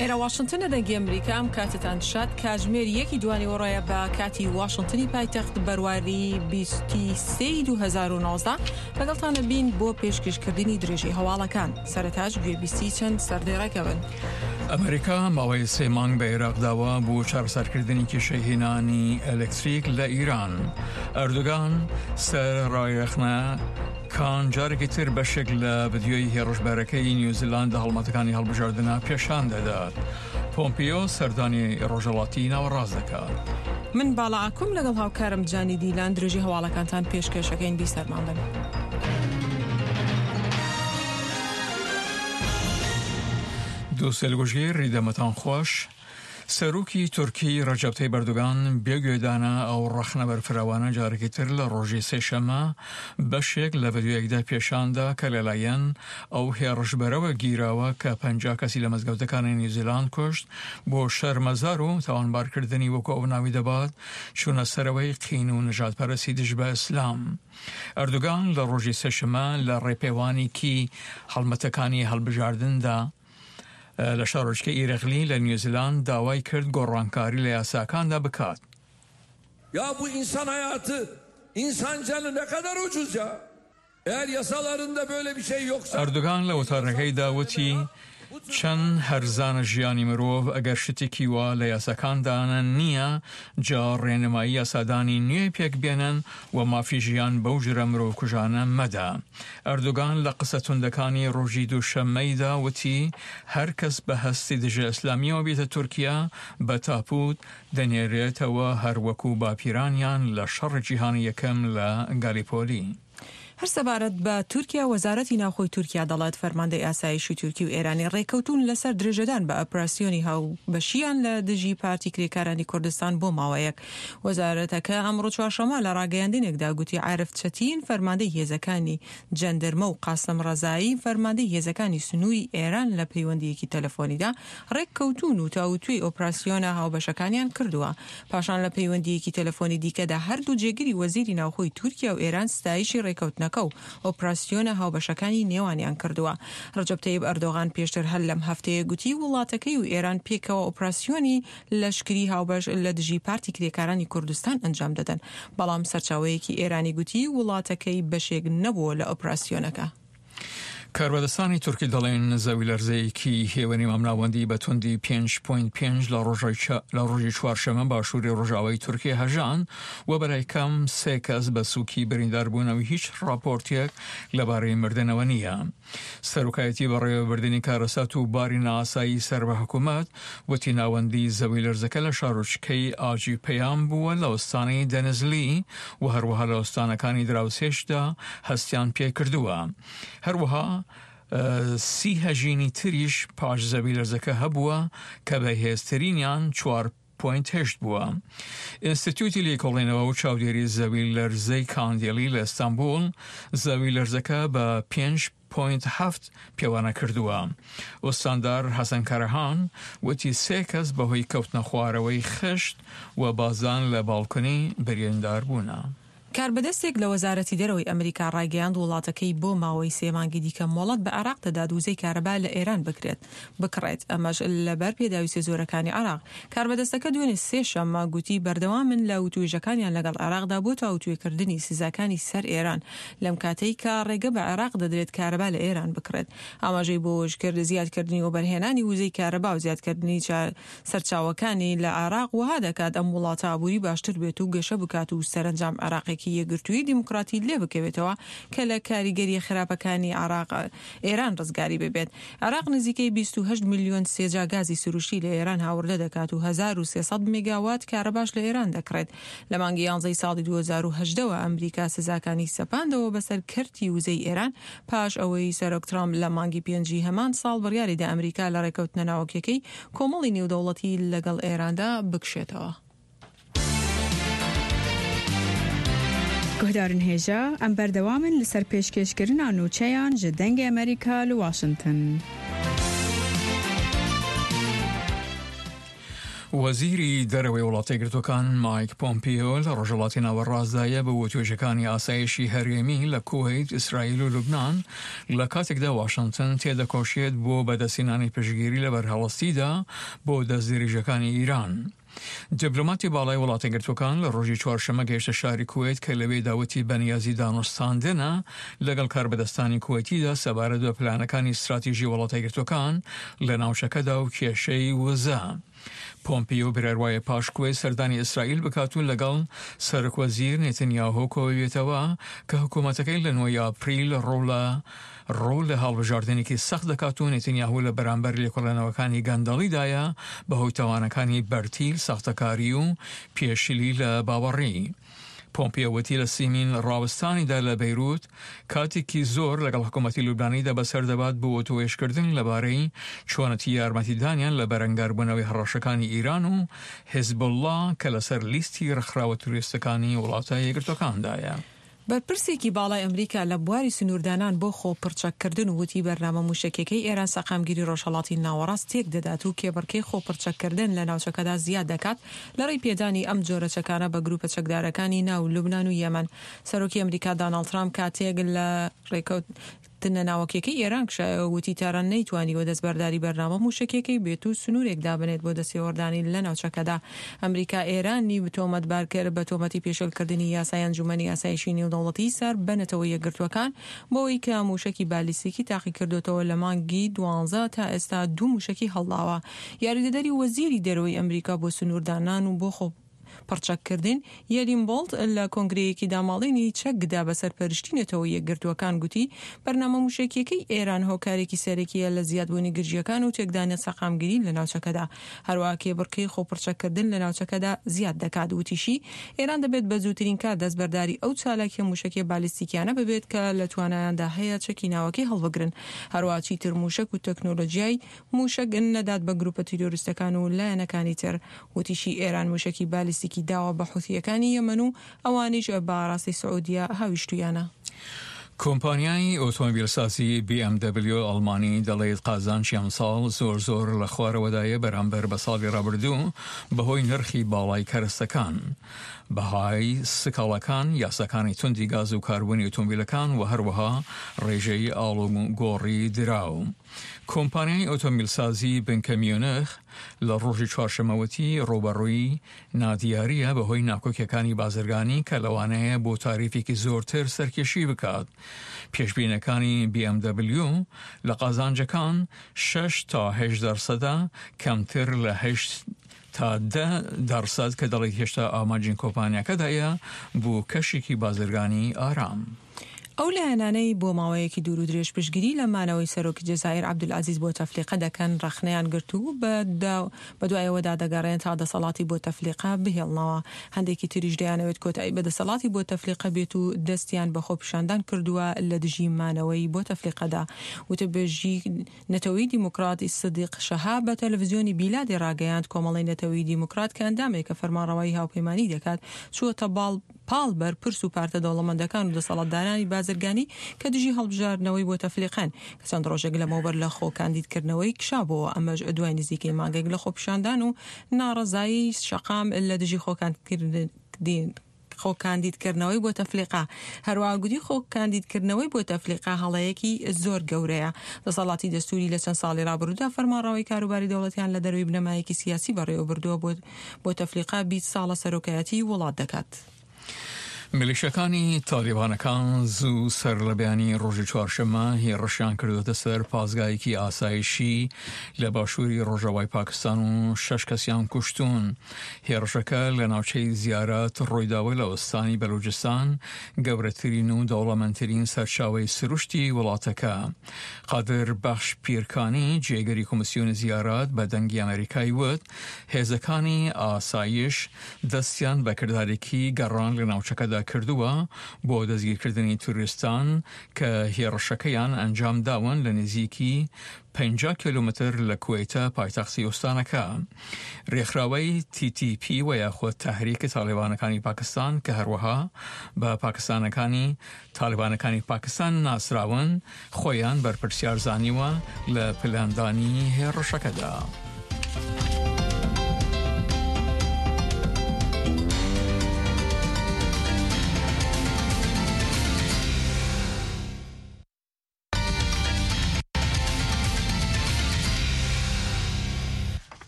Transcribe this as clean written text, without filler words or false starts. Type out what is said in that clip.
ئێرە واشنتنە دەنگی ئەمریکا ئەم کاتتان شاد کاتژمێر یەکی دوانیوەڕۆیە بە کاتی واشنتنی پایتەخت بەرواری 23 2019 لەگەڵتانە بین بۆ پێشکەشکردنی درێژەی هەواڵەکان سەرەتاش گوێبیستی چەند سەردێڕێکە بن. ئەمریکا ماوەی سێ مانگ بە عێراق داوە بۆ چارەسەرکردنی کێشەی هێنانی ئەلکتریک لە ئیران. ئەردۆگان سەرەڕای ڕەخنە کان جارێکی تر بەشێک لە ڤیدیۆی هێڕشبەرەکەی نیوزیلاند لە هەڵمەتەکانی هەڵبژاردنە پێشان دەدات. پۆمپیۆ سەردانی ڕۆژهەڵاتی ناوەڕاست دەکات. من باڵا ئاکۆم لەگەڵ هاوکارم جانی دیلان درێژەی هەواڵەکانتان پێشکێشەکەین بیسەرمان بن. دووسێل گوژگیر دەمتان خۆش. سەرۆکی تورکی ڕەجەب تەیب ئەردۆگان بێ گوێدانە ئەو ڕەخنە بەرفراوانە جارێکی تر لە ڕۆژی سێشەممە بەشێک لە ڤیدیۆیەکدا پێشاندا کە لەلایەن ئەو هێڕشبەرەوە گیراوە کە 50 کەسی لە مزگەوتەکانی نیوزیلاند کوشت بۆ شەرمەزار و تاوانبارکردنی وەکو ئەو ناوی دەبات چوونە سەرەوەی قین و نەژادپەرستی دژ بە ئیسلام. ئەردۆگان لە ڕۆژی سێشەممە لە ڕێپێوانێکی هەڵمەتەکانی هەڵبژاردندا لە شارۆچکەی ئیرەغلی لە نیوزیلاند داوای کرد گۆڕانکاری لە یاساکاندا بکات. Ya bu insan hayatı, insan canı ne kadar ucuz ya. Eğer yasalarında böyle bir şey yoksa ئەردۆگان لە وتارەکەیدا وتی، چەند هەرزانە ژیانی مرۆڤ، ئەگەر شتێکی وا لە یاساکاندا نییە، جا ڕێنمایی یاسادانی نوێ پێکبێنن و مافی ژیان بەو جورە مرۆڤکوژانە مەدە. ئەردۆگان لە قسە توندەکانی ڕۆژی دووشەممەیدا وتی، هەر کەس بە هەستی دژە ئیسلامییەوە بێتە تورکیا، بە تاپوت دەنێرێتەوە هەر وەکو باپیرانیان لە شەڕی جیهانی یەکەم لە گالیپۆلی. هەر سەبارەت بە تورکیا، وەزارەتی ناوخۆی تورکیا دەڵێت، فەرماندەی ئاسایشی تورکی و ئێرانی ڕێککەوتوون لەسەر درێژەدان بە ئۆپراسیۆنی هاوبەشیان لە دژی پارتی کرێکارانی کوردستان بۆ ماوەیەک. وەزارەتەکە ئەمڕۆ چوارشەممە لە ڕاگەیاندنێکدا گوتی عارف چەتین فەرماندەی هێزەکانی جەندرمە و قاسم ڕەزایی فەرماندەی هێزەکانی سنووری ئێران لە پەیوەندییەکی تەلەفۆنیدا ڕێککەوتوون و تاوتوێی ئۆپراسیۆنە هاوبەشەکانیان کردووە. پاشان لە پەیوەندییەکی تەلەفۆنی دیکەدا هەردوو جێگری وەزیری ناوخۆی تورکیا و ئێران ستایشی ڕێککەوتنەکە و ئۆپراسیۆنە هاوبەشەکانی نێوانیان کردووە. ڕەجەب تەیب ئەردۆغان پێشتر هەر لەم هەفتەیە گوتی وڵاتەکەی و ئێران پێکەوە ئۆپراسیۆنی لەشکری هاوبەش لە دژی پارتی کرێکارانی کوردستان ئەنجام دەدەن، بەڵام سەرچاوەیەکی ئێرانی گوتی وڵاتەکەی بەشێک نەبووە لە ئۆپراسیۆنەکە. کاربەدەستانی تورکی دەڵێن زەویلەرزەیەکی هێوەنی مامناوەندی بە توندی 5.5 لە لە ڕۆژی چوارشەمە باشووری ڕۆژاوای تورکیا هەژان و بەلای کەم سێ کەس بە سووکی بریندار بوون و هیچ ڕاپۆرتێک لەبارەی مردنەوە نییە. سەرۆکایەتی بەڕێوەبردنی کارەسات و باری نائاسایی سەر بە حکومەت وتی ناوەندی زەویلەرزەکە لە شارۆچکەی ئاجی پەیام بووە لە ئوستانی دەنزلی و هەروەها لە ئوستانەکانی دراوسێشدا هەستیان پێکردووە. هەروەها سی هەژینی تریش پاش زەویلەرزەکە هەبووە کە بەهێزترینیان چوار پۆینت هەشت بووە. ئینستیتیوتی لێکۆڵینەوە و چاودێری زەویلەرزەی کاندیلی لە ئیستانبوڵ زەویلەرزەکە بە پێنج پۆینت هەفت پێوانە کردووە. ئوستاندار حەسەن کەرەهان وتی سێ کەس بەهۆی کەوتنە خوارەوەی خشت و بازدان لە باڵکۆنی بریندار بوونە. کاربەدەستێک لە وەزارەتی دەرەوەی ئەمریکا ڕایگەیاند وڵاتەکەی بۆ ماوەی سێ مانگی دیکە مۆڵەت بە عێراق دەدات وزەی کارەبا لە ئێران بکرێت بکڕێت ئەمەش لەبەر پێداویستیە زۆرەکانی عێراق. کاربەدەستەکە دوێنێ سێ شەممە گوتی بەردەوامن لە وتوێژەکانیان لەگەڵ عێراقدا بۆ تاوتوێکردنی سزاکانی سەر ئێران لەم کاتەی کە ڕێگە بە عێراق دەدرێت کارەبا لە ئێران بکڕێت. ئاماژەی بۆوەشکرد زیادکردنی وەبەرهێنانی وزەی کارەبا و زیادکردنی سەرچاوەکانی لە عێراق وەها دەکات ئەم وڵاتە ئابووری باشتر بێت و گەشە بکات و سەرەنجام عێراقێکی یەکگرتووی دیموکراتی لێ بکەوێتەوە کە لە کاریگەرییە خراپەکانی عێراق ئێران ڕزگاری ببێت. عێراق نزیکەی 28 ملیۆن سێجا گازی سروشتی لە ئێران هاوردە دەکات و 1300 مێگاوات کارەباش لە ئێران دەکڕێت. لە مانگی یانزەی ساڵی 2018 وە ئەمریکا سزاکانی سەپاندەوە بەسەر کەرتی وزەی ئێران پاش ئەوەی سەرۆک ترامپ لە مانگی پێنجی هەمان ساڵ بڕیاری دا ئەمریکا لە ڕێکەوتنە ناوەکیەکەی کۆمەڵی نێودەوڵەتی لەگەڵ ئێراندا بکشێتەوە. Guhdarên hêja, em berdewam in li ser pêşkêşkirina nûçeyan ji Dengê Amerîka li Washington. وەزیری دەرەوەی وڵاتە یەکگرتووەکان مایک پۆمپیۆ لە ڕۆژهەڵاتی ناوەڕاستدایە بۆ وتوێژەکانی ئاسایشی هەرێمی لە کوەیت، ئیسرائیل و لوبنان، لە کاتێکدا واشنتن تێدەکۆشێت بۆ بەدەستهێنانی پشتگیری لە بەرهەڵستیدا بۆ دەستدرێژیەکانی ئیران. دیپلۆماتی باڵای وڵاتە یەکگرتووەکان لە ڕۆژی چوارشەممە گەیشتە شاری کوەیت کە لەوێدا وتی بەنیازی دانوستاندنە لەگەڵ کاربەدەستانی کوەیتیدا سەبارەت بە پلانەکانی ستراتیژی وڵاتە یەکگرتووەکان لە ناوچەکەدا و کێشەی وزە. پۆمپیۆ بڕیار وایە پاش کوەیت سەردانی ئیسرائیل بکات و لەگەڵ سەرۆکوەزیر نێتنیاهۆ کۆببێتەوە کە حکوومەتەکەی لە نۆی ئاپریل ڕوو لە ڕوو لە هەڵبژاردنێکی سەخت دەکات و نێتنیاهۆ لە بەرامبەر لێکۆڵێنەوەکانی گەندەڵیدایە بەهۆی تاوانەکانی بەرتیل، ساختەکاری و پێشلی لە باوەڕی. پۆمپیۆ وتی لە سیمین ڕاوەستانیدا لە بەیروت کاتێکی زۆر لەگەڵ حکوومەتی لوبنانیدا بەسەر دەبات بۆ وتووێژکردن لەبارەی چۆنەتی یارمەتیدانیان لە بەرەنگاربوونەوەی هەڕەشەکانی ئیران و حیزبوڵڵا کە لەسەر لیستی ڕێکخراوە تیرۆریستەکانی وڵاتە یەکگرتووەکاندایە. بەرپرسێکی باڵای ئەمریکا لە بواری سنووردانان بۆ خۆ پڕچەککردن وتی بەرنامە مووشەکیەکەی ئێران سەقامگیری ڕۆژهەڵاتی ناوەڕاست تێک دەدات و کێبڕکێی خۆ پڕچەککردن لە ناوچەکەدا زیاد دەکات لە ڕێی پێدانی ئەم جۆرە چەکانە بە گرووپە چەکدارەکانی ناو لوبنان و یەمەن. سەرۆکی ئەمریکا داناڵد ترامپ کاتێک لە ڕێکەوتنە ناوەکیەکەی ئێران کشایەوە وتی تاران نەیتوانیوە دەستبەرداری بەرنامە مووشەکیەکەی بێت و سنوورێک دابنێت بۆ دەستێوەردانی لە ناوچەکەدا. ئەمریکا ئێرانی تۆمەتبار کرد بە تۆمەتی پێشێلکردنی یاسای ئەنجوومەنی ئاسایشی نێودەوڵەتی سەر بە نەتەوە یەکگرتووەکان بەوەی کە مووشەکی بالیستیکی تاقیکردۆتەوە لە مانگی دوانزە تا ئێستا دوو مووشەکی هەڵداوە. یاریدەدەری وەزیری دەرەوەی ئەمریکا بۆ سنووردانان و بۆ خۆ پڕچەککردن، یەلین بۆڵت لە کۆنگرەیەکی داماڵینی چەکدا بە سەرپەرشتی نەتەوە یەکگرتووەکان گوتی، بەرنامە مووشەکییەکەی ئێران هۆکارێکی سەرەکییە لە زیادبوونی گرژییەکان و تێکدانی سەقامگیری لە ناوچەکەدا، هەروەها کێبڕکێی خۆپڕچەککردن لە ناوچەکەدا زیاد دەکات. وتیشی، ئێران دەبێت بە زووترین کات دەستبەرداری ئەو چالاکییە مووشەکییە بالیستیکیانە ببێت کە لە توانایاندا هەیە چەکی ناوەکی هەڵبگرن، هەروەها چیتر مووشەک و تەکنۆلۆجیای مووشەک نەدات بە گرووپە تیرۆریستەکان و لایەنەکانی تر. وتیشی، ئێران مووشەکی بالیستیکی داوە بە حوسییەکانی یەمەن و ئەوانیش بە ئاراستەی سعودیە هاویشتوویانە. کۆمپانیای ئۆتۆمبیلسازی بی ئێم دەبلیۆ ئەڵمانی دەڵێت قازانجی ئەمساڵ زۆر زۆر لە خوارەوەدایە بەرامبەر بە ساڵی ڕابردوو بەهۆی نرخی باڵای کەرەستەکان، بەهای سکاڵاکان، یاساکانی توندی گاز و کاربۆنی ئۆتۆمبیلەکان و هەروەها ڕێژەی ئاڵوگۆڕی دراو. کۆمپانیای ئۆتۆمبیلسازی بنکە میونخ لە ڕۆژی چوارشەممە وتی ڕووبەڕووی نادیارییە بەهۆی ناکۆکیەکانی بازرگانی کە لەوانەیە بۆ تاریفێکی زۆرتر سەرکێشی بکات. پێشبینەکانی BMW لە قازانجەکان شەش تا هەشت دەرسەدە، کەمتر لە هەشت تا دە دەرسەد کە دەڵێت هێشتا ئامانجی کۆمپانیاکەدایە بۆ کەشێکی بازرگانی ئارام. ئەو لایەنانەی بۆ ماوەیەکی دوور و درێژ پشتگیری لە مانەوەی سەرۆکی جەزائیر عەبدولعەزیز بۆتەفلیقە دەکەن، ڕەخنەیان گرت و بەدوای ئەوەدا دەگەڕێن تا دەسەڵاتی بۆتەفلیقە بهێڵنەوە. هەندێکی تریش دەیانەوێت کۆتایی بە دەسەڵاتی بۆتەفلیقە بێت و دەستیان بە خۆپیشاندان کردووە لە دژی مانەوەی بۆتەفلیقەدا. وتەبێژی نەتەوەی دیموکرات سدیق شەهاب بە تەلەفزیۆنی بیلادی ڕاگەیاند، کۆمەڵەی نەتەوەی دیموکرات کە ئەندامێکە فەرمانڕەوایی هاوپەیمانی دەکات، چووەتە باڵ پاڵ بەرپرس و پارتە دەوڵەمەندەکان و دەسەڵاتدارانی بازرگانی کە دژی هەڵبژاردنەوەی بۆتەفلیقەن کە چەند ڕۆژێک لەمەوبەر لە خۆ کاندیدکردنەوەی کشابۆوە ئەمەش دوای نزیکەی مانگێک لە خۆپیشاندان و ناڕەزایی شەقام لە دژی خۆکاندیدکردن خۆکاندیدکردنەوەی بۆتەفلیقە. هەروەها گوتی خۆکاندیدکردنەوەی بۆتەفلیقە هەڵەیەکی زۆر گەورەیە. دەسەڵاتی دەستووری لە چەند ساڵی ڕابردوودا فەرمانڕەوای کاروباری دەوڵەتیان لە دەرەوەی بنەمایەکی سیاسی بەڕێوەبردووە بۆ بۆتەفلیقە 20 ساڵە سەرۆکایەتیی وڵات دەکات. میلیشیاکانی تالیبانەکان زوو سەرلەبەیانی ڕۆژی چوارشەممە هێڕشیان کردووەتە سەر پاسگایەکی ئاسایشی لە باشووری ڕۆژاوای پاکستان و شەش کەسیان کوشتوون. هێڕشەکە لە ناوچەی زیارەت ڕوویداوە لە ئوستانی بەلوجستان، گەورەترین و دەوڵەمەندترین سەرچاوەی سروشتی وڵاتەکە. قادر بەخش پیرکانی، جێگری کۆمیسیۆنی زیارەت بە دەنگی ئەمەریکای وت، هێزەکانی ئاسایش دەستیان بە کردارێکی گەڕان لە ناوچەکەدا کردووە بۆ دەستگیرکردنی تیرۆریستان کە هێڕشەکەیان ئەنجامداون لە نزیکی 50 کیلۆمەتر لە کوەیتە پایتەختی ئوستانەکە. رێکخراوەی تی تی پی و یاخود تەحریک تاڵیبانەکانی پاکستان کە هەروەها بە پاکستانەکانی تاڵیبانەکانی پاکستان ناسراون، خۆیان بەرپرسیار زانیوە لە پلاندانی هێڕشەکەدا.